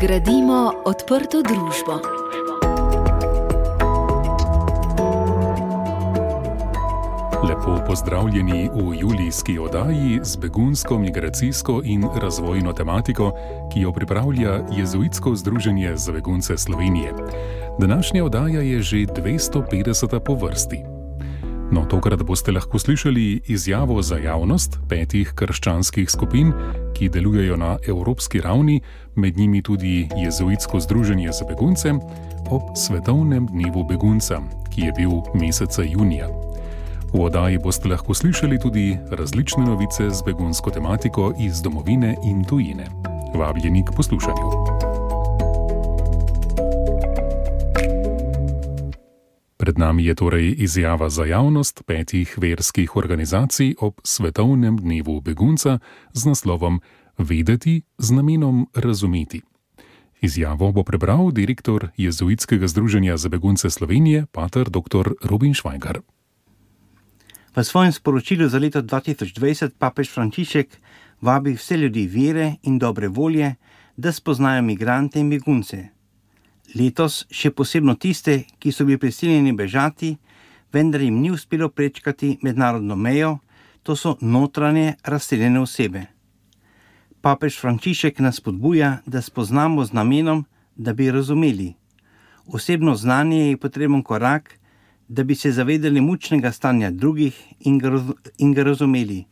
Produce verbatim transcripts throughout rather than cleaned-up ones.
Gradimo odprto družbo. Lepo pozdravljeni v julijski oddaji z begunsko, migracijsko in razvojno tematiko, ki jo pripravlja Jezuitsko združenje za begunce Slovenije. Današnja oddaja je že dvesto petdeseta po vrsti. No, tokrat boste lahko slišali izjavo za javnost petih krščanskih skupin, ki delujejo na evropski ravni, med njimi tudi Jezuitsko združenje za begunce, ob svetovnem dnevu begunca, ki je bil meseca junija. V oddaji boste lahko slišali tudi različne novice z begunsko tematiko iz domovine in tujine. Vabljeni k poslušanju. Pred nami je torej izjava za javnost petih verskih organizacij ob svetovnem dnevu begunca z naslovom Vedeti z namenom razumeti. Izjavo bo prebral direktor Jezuitskega združenja za begunce Slovenije, pater dr. Robin Švajgar. V svojem sporočilu za leto dva tisoč dvajset papež Frančišek vabi vse ljudi vere in dobre volje, da spoznajo migrante in begunce. Letos še posebno tiste, ki so bili prisiljeni bežati, vendar jim ni uspelo prečkati mednarodno mejo, to so notranje razseljene osebe. Papež Frančišek nas spodbuja, da spoznamo z namenom, da bi razumeli. Osebno znanje je potreben korak, da bi se zavedali mučnega stanja drugih in ga, in ga razumeli.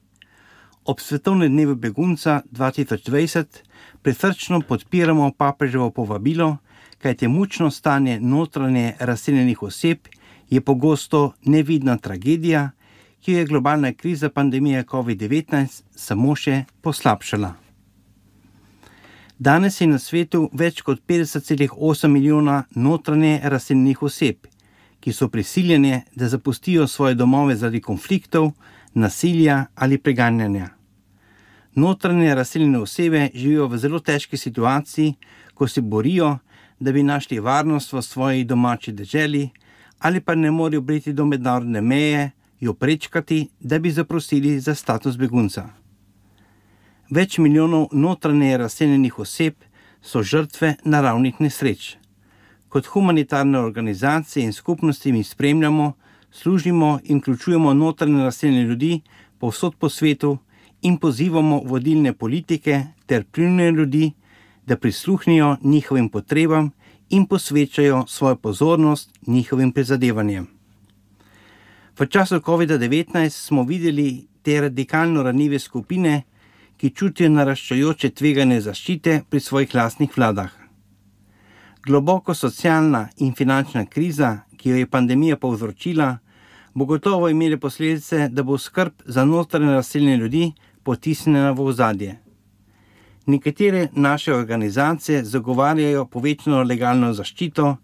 Ob svetovnem dnevu begunca dva tisoč dvajset prisrčno podpiramo papeževo povabilo, kajte mučno stanje notranje razseljenih oseb je pogosto nevidna tragedija, ki jo je globalna kriza pandemije covid devetnajst samo še poslabšala. Danes je na svetu več kot petdeset celih osem milijona notranje razseljenih oseb, ki so prisiljene, da zapustijo svoje domove zaradi konfliktov, nasilja ali preganjanja. Notranje razseljene osebe živijo v zelo težki situaciji, ko se borijo, da bi našli varnost v svoji domači deželi, ali pa ne morejo priti do mednarodne meje, jo prečkati, da bi zaprosili za status begunca. Več milijonov notranje razseljenih oseb so žrtve naravnih nesreč. Kot humanitarne organizacije in skupnosti mi spremljamo, služimo in vključujemo notranje razseljene ljudi povsod po svetu in pozivamo vodilne politike ter vplivne ljudi, da prisluhnijo njihovim potrebam in posvečajo svojo pozornost njihovim prizadevanjem. V času covid devetnajst smo videli te radikalno ranljive skupine, ki čutijo naraščajoče tveganje zaščite pri svojih lastnih vladah. Globoko socialna in finančna kriza, ki jo je pandemija povzročila, bo gotovo imela posledice, da bo skrb za notranje razseljene ljudi potisnjena v ozadje. Nekatere naše organizacije zagovarjajo povečano legalno zaščito,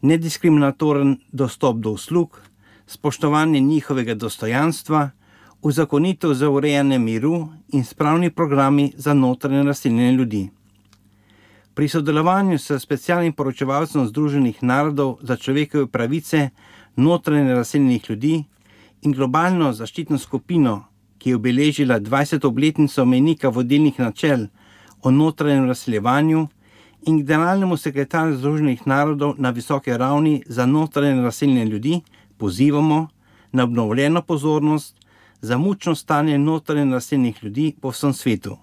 nediskriminatoren dostop do uslug, spoštovanje njihovega dostojanstva, uzakonitev za urejanje miru in spravni programi za notranje razseljene ljudi. Pri sodelovanju s specialnim poročevalcem Združenih narodov za človekove pravice notranje razseljenih ljudi in globalno zaščitno skupino, ki je obeležila dvajseto obletnico mejnika vodilnih načel o notranjem razseljevanju, in generalnemu sekretarju Združenih narodov na visoke ravni za notranje razseljene ljudi pozivamo na obnovljeno pozornost za mučno stanje notranje razseljenih ljudi po vsem svetu.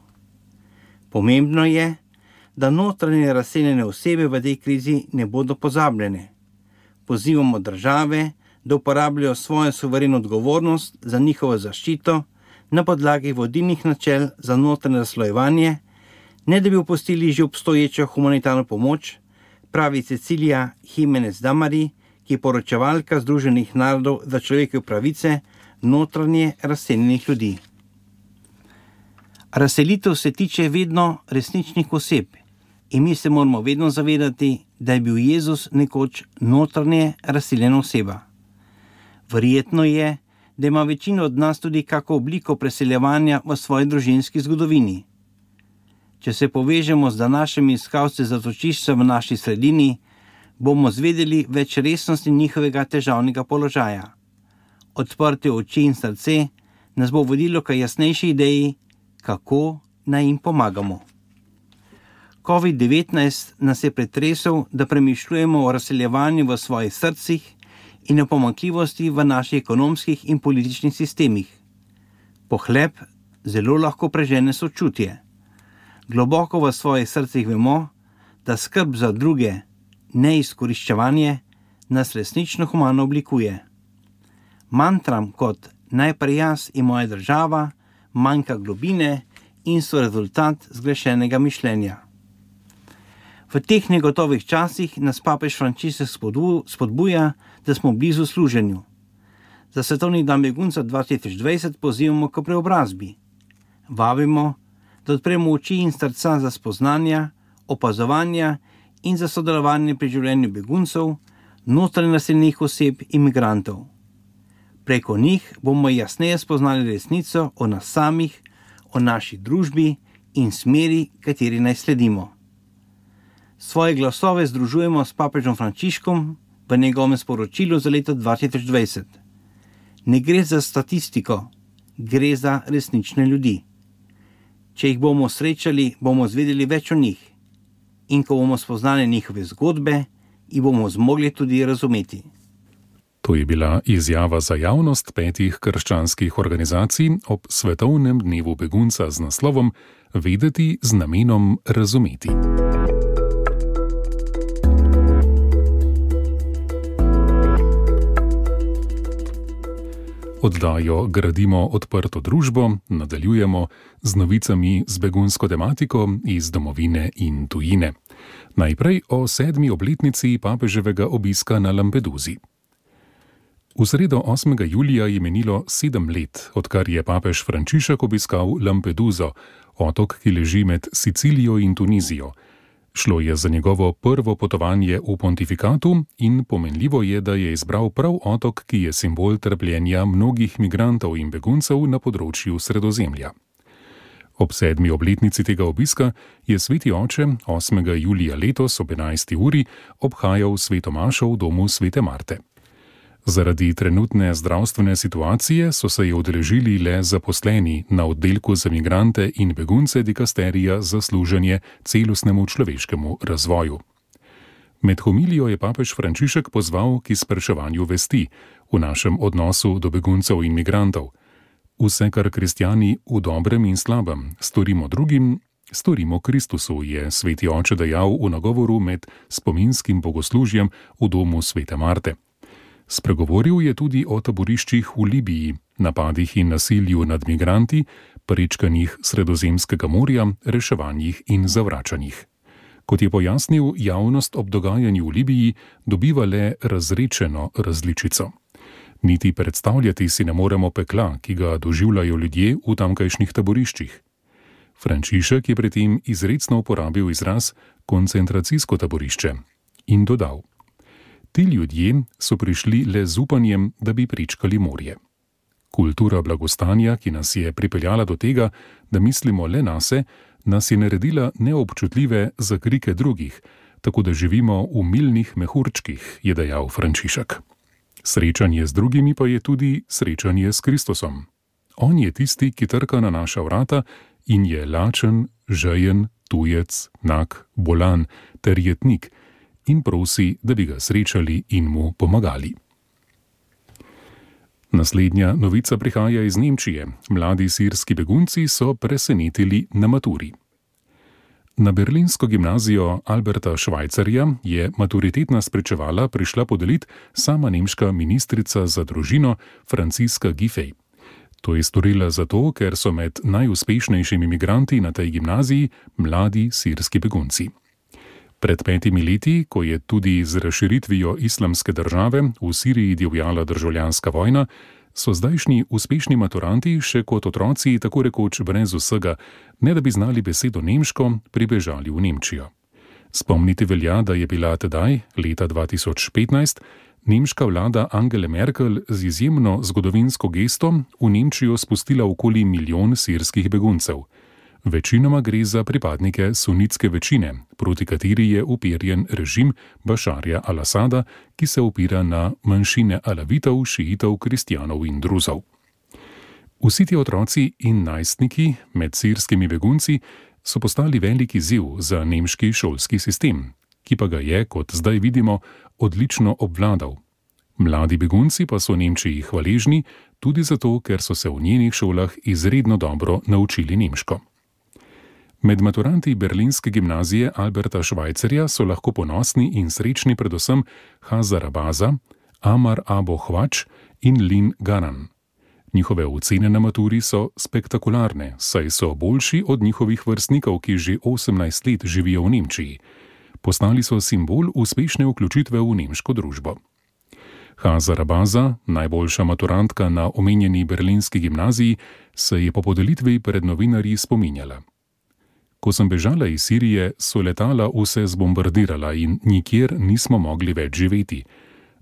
Pomembno je, da notranje razseljene osebe v tej krizi ne bodo pozabljene. Pozivamo države, da uporabljajo svojo suvereno odgovornost za njihovo zaščito na podlagi vodilnih načel za notranje razslojevanje, ne da bi opustili že obstoječo humanitarno pomoč, pravi Cecilija Jimenez Damari, ki je poročevalka Združenih narodov za človekove pravice notranje razseljenih ljudi. Razselitev se tiče vedno resničnih oseb in mi se moramo vedno zavedati, da je bil Jezus nekoč notranje razseljena oseba. Verjetno je, da ima večina od nas tudi kako obliko preseljevanja v svoji družinski zgodovini. Če se povežemo z današnjimi iskalci zatočišča v naši sredini, bomo zvedeli več resnosti njihovega težavnega položaja. Odprte oči in srce nas bo vodilo k jasnejši ideji, kako naj jim pomagamo. covid devetnajst nas je pretresel, da premišljujemo o razseljevanju v svojih srcih in o pomanjkljivosti v naših ekonomskih in političnih sistemih. Pohlep zelo lahko prežene sočutje. Globoko v svojih srcih vemo, da skrb za druge, ne izkoriščevanje, nas resnično humano oblikuje. Mantram kot najprej jaz in moja država manjka globine in so rezultat zgrešenega mišljenja. V teh negotovih časih nas papež Frančišek spodbuja, da smo blizu služenju. Za svetovni dan begunca dva tisoč dvajset pozivamo k preobrazbi. Vabimo, da odpremo oči in srca za spoznanja, opazovanja in za sodelovanje pri življenju beguncev, notranje naseljenih oseb in migrantov. Preko njih bomo jasneje spoznali resnico o nas samih, o naši družbi in smeri, kateri naj sledimo. Svoje glasove združujemo s papežom Frančiškom v njegovem sporočilu za leto dva tisoč dvajset. Ne gre za statistiko, gre za resnične ljudi. Če jih bomo srečali, bomo zvedeli več o njih. In ko bomo spoznali njihove zgodbe, jih bomo zmogli tudi razumeti. To je bila izjava za javnost petih krščanskih organizacij ob svetovnem dnevu begunca z naslovom Vedeti z namenom razumeti. Oddajo Gradimo odprto družbo nadaljujemo z novicami z begunsko tematiko iz domovine in tujine. Najprej o sedmi obletnici papeževega obiska na Lampedusi. V sredo osmega julija je minilo sedem let, odkar je papež Frančišek obiskal Lampeduso, otok, ki leži med Sicilijo in Tunizijo. Šlo je za njegovo prvo potovanje v pontifikatu in pomenljivo je, da je izbral prav otok, ki je simbol trpljenja mnogih migrantov in beguncev na področju Sredozemlja. Ob sedmi obletnici tega obiska je sveti oče osmega julija letos ob enajsti uri obhajal sveto mašo v domu svete Marte. Zaradi trenutne zdravstvene situacije so se je udeležili le zaposleni na oddelku za migrante in begunce dikasterija za služenje celostnemu človeškemu razvoju. Med homilijo je papež Frančišek pozval k izpraševanju vesti v našem odnosu do beguncev in migrantov. Vse, kar kristjani v dobrem in slabem storimo drugim, storimo Kristusu, je sveti oče dejal v nagovoru med spominskim bogoslužjem v domu svete Marte. Spregovoril je tudi o taboriščih v Libiji, napadih in nasilju nad migranti, prečkanjih Sredozemskega morja, reševanjih in zavračanjih. Kot je pojasnil, javnost ob dogajanju v Libiji dobiva le razrečeno različico. Niti predstavljati si ne moremo pekla, ki ga doživljajo ljudje v tamkajšnjih taboriščih. Frančišek je pri tem izrecno uporabil izraz koncentracijsko taborišče in dodal: Ti ljudje so prišli le z upanjem, da bi prečkali morje. Kultura blagostanja, ki nas je pripeljala do tega, da mislimo le nase, nas je naredila neobčutljive za krike drugih, tako da živimo v milnih mehurčkih, je dejal Frančišek. Srečanje z drugimi pa je tudi srečanje s Kristusom. On je tisti, ki trka na naša vrata in je lačen, žejen, tujec, nag, bolan ter jetnik, in prosi, da bi ga srečali in mu pomagali. Naslednja novica prihaja iz Nemčije. Mladi sirski begunci so presenetili na maturi. Na berlinsko gimnazijo Alberta Schweitzerja je maturitetna spričevala prišla podelit sama nemška ministrica za družino Franciska Giffey. To je storila zato, ker so med najuspešnejšimi migranti na tej gimnaziji mladi sirski begunci. Pred petimi leti, ko je tudi z razširitvijo islamske države v Siriji divjala državljanska vojna, so zdajšnji uspešni maturanti še kot otroci tako rekoč brez vsega, ne da bi znali besedo nemško, pribežali v Nemčijo. Spomniti velja, da je bila tedaj, leta dva tisoč petnajst, nemška vlada Angele Merkel z izjemno zgodovinsko gesto v Nemčijo spustila okoli milijon sirskih beguncev. Večinoma gre za pripadnike sunitske večine, proti kateri je uperjen režim Bašarja al-Asada, ki se opira na manjšine alavitov, šiitov, kristjanov in druzov. Vsi ti otroci in najstniki med sirskimi begunci so postali velik izziv za nemški šolski sistem, ki pa ga je, kot zdaj vidimo, odlično obvladal. Mladi begunci pa so Nemčiji hvaležni tudi zato, ker so se v njenih šolah izredno dobro naučili nemško. Med maturanti berlinske gimnazije Alberta Schweitzerja so lahko ponosni in srečni predvsem Hazar Abaza, Amar Abo Hvač in Lin Garan. Njihove ocene na maturi so spektakularne, saj so boljši od njihovih vrstnikov, ki že osemnajst let živijo v Nemčiji. Postali so simbol uspešne vključitve v nemško družbo. Hazar Abaza, najboljša maturantka na omenjeni berlinski gimnaziji, se je po podelitvi pred novinarji spominjala. Ko sem bežala iz Sirije, so letala vse zbombardirala in nikjer nismo mogli več živeti.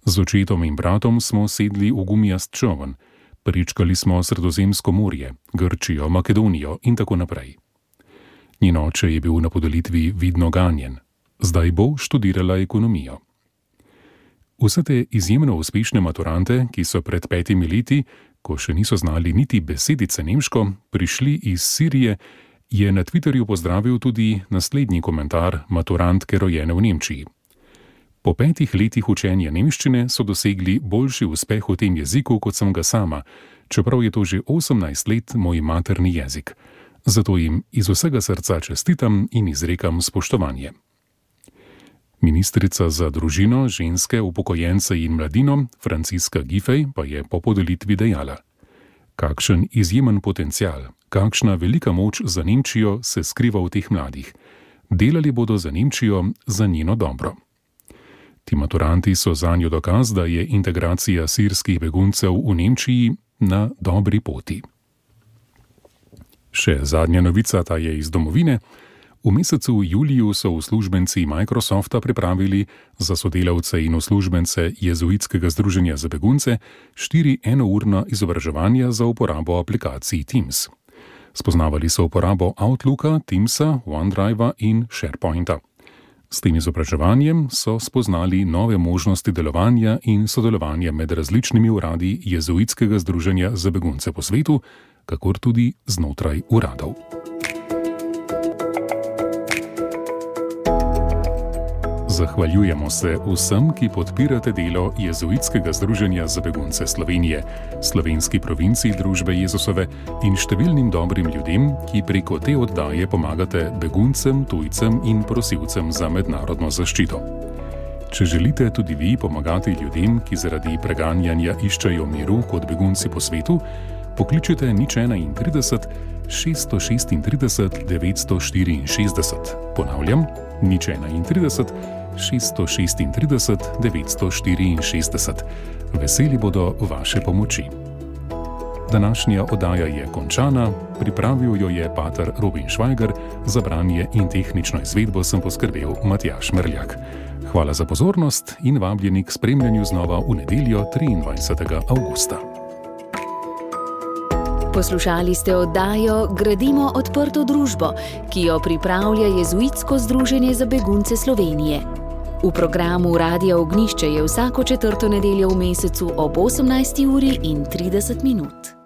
Z očetom in bratom smo sedli v gumijast čoln, prečkali smo Sredozemsko morje, Grčijo, Makedonijo in tako naprej. Njen oče je bil na podelitvi vidno ganjen. Zdaj bo študirala ekonomijo. Vse te izjemno uspešne maturante, ki so pred petimi leti, ko še niso znali niti besedice nemško, prišli iz Sirije, je na Twitterju pozdravil tudi naslednji komentar maturantke rojene v Nemčiji. Po petih letih učenja nemščine so dosegli boljši uspeh v tem jeziku, kot sem ga sama, čeprav je to že osemnajst let moj materni jezik. Zato jim iz vsega srca čestitam in izrekam spoštovanje. Ministrica za družino, ženske, upokojence in mladino Franciska Giffey pa je po podelitvi dejala: kakšen izjemen potencial, kakšna velika moč za Nemčijo se skriva v teh mladih. Delali bodo za Nemčijo, za njeno dobro. Ti maturanti so zanjo dokaz, da je integracija sirskih beguncev v Nemčiji na dobri poti. Še zadnja novica, ta je iz domovine. V mesecu juliju so uslužbenci Microsofta pripravili za sodelavce in uslužbence Jezuitskega združenja za begunce štiri enourna izobraževanja za uporabo aplikacij Teams. Spoznavali so uporabo Outlooka, Teamsa, OneDrivea in SharePointa. S tem izobraževanjem so spoznali nove možnosti delovanja in sodelovanja med različnimi uradi Jezuitskega združenja za begunce po svetu, kakor tudi znotraj uradov. Zahvaljujemo se vsem, ki podpirate delo Jezuitskega združenja za begunce Slovenije, slovenski provinciji Družbe Jezusove in številnim dobrim ljudem, ki preko te oddaje pomagate beguncem, tujcem in prosilcem za mednarodno zaščito. Če želite tudi vi pomagati ljudem, ki zaradi preganjanja iščejo miru kot begunci po svetu, pokličite nič enaintrideset, šeststo šestintrideset, devetsto štiriinšestdeset. Ponavljam, nič enaintrideset, šeststo šestintrideset, devetsto štiriinšestdeset. Veseli bodo vaše pomoči. Današnja oddaja je končana, pripravil jo je pater Robin Švajger, za branje in tehnično izvedbo sem poskrbel Matjaž Merljak. Hvala za pozornost in vabljeni k spremljanju znova v nedeljo triindvajsetega avgusta. Poslušali ste oddajo Gradimo odprto družbo, ki jo pripravlja Jezuitsko združenje za begunce Slovenije. V programu Radia Ognjišče je vsako četrto nedeljo v mesecu ob osemnajsti uri in trideset minut.